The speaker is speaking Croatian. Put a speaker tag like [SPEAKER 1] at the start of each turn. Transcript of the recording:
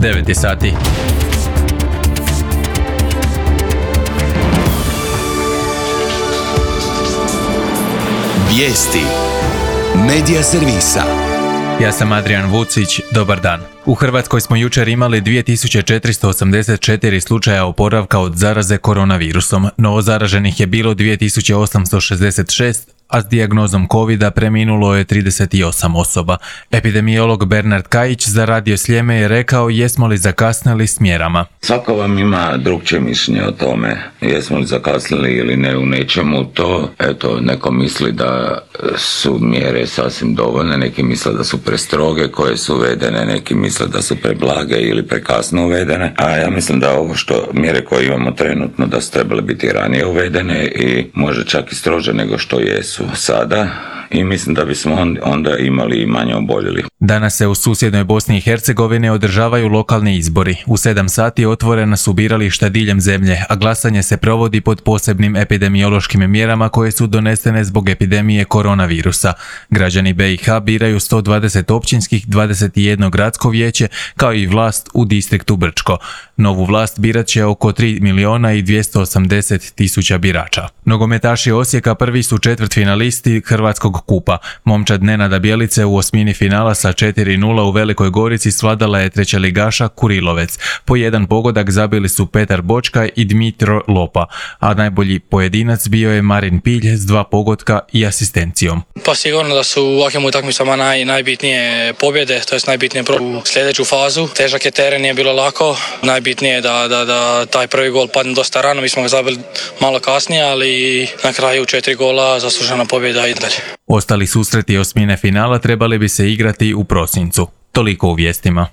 [SPEAKER 1] 9 je sati.
[SPEAKER 2] Vijesti Medija servisa.
[SPEAKER 1] Ja sam Adrian Vucić, dobar dan. U Hrvatskoj smo jučer imali 2484 slučaja oporavka od zaraze koronavirusom. Novo zaraženih je bilo 2866, a s dijagnozom covida preminulo je 38 osoba. Epidemiolog Bernard Kajić za Radio Sljeme je rekao jesmo li zakasnili s mjerama.
[SPEAKER 3] Svako vam ima drugčije mišljenje o tome, jesmo li zakasnili ili ne u nečemu. To, neko misli da su mjere sasvim dovoljne, neki misle da su prestroge koje su uvedene, neki misle da su preblage ili prekasno uvedene, a ja mislim da ovo mjere koje imamo trenutno da su trebale biti ranije uvedene i možda čak i strože nego što jesu sada, i mislim da bismo onda imali i manje oboljelih.
[SPEAKER 1] Danas se u susjednoj Bosni i Hercegovini održavaju lokalni izbori. U 7 sati otvorena su birališta diljem zemlje, a glasanje se provodi pod posebnim epidemiološkim mjerama koje su donesene zbog epidemije koronavirusa. Građani BiH biraju 120 općinskih, 21 gradsko vijeće, kao i vlast u distriktu Brčko. Novu vlast birat će oko 3.280.000 birača. Nogometaši Osijeka prvi su četvrtfinalisti Hrvatskog kupa. Momčad Nenada Bjelice u osmini finala sa 4:0 u Velikoj Gorici svladala je trećeligaša Kurilovec. Po jedan pogodak zabili su Petar Bočka i Dmitro Lopa, a najbolji pojedinac bio je Marin Pilj s 2 pogotka i asistencijom.
[SPEAKER 4] Pa sigurno da su u ovakvim utakmicama najbitnije pobjede, to je najbitnije u sljedeću fazu. Težak je teren, nije bilo lako. Najbitnije je da taj prvi gol padne dosta rano, mi smo ga zabili malo kasnije, ali na kraju 4 gola, zaslužena pobjeda i dalje.
[SPEAKER 1] Ostali susreti osmine finala trebali bi se igrati u prosincu. Toliko u vijestima.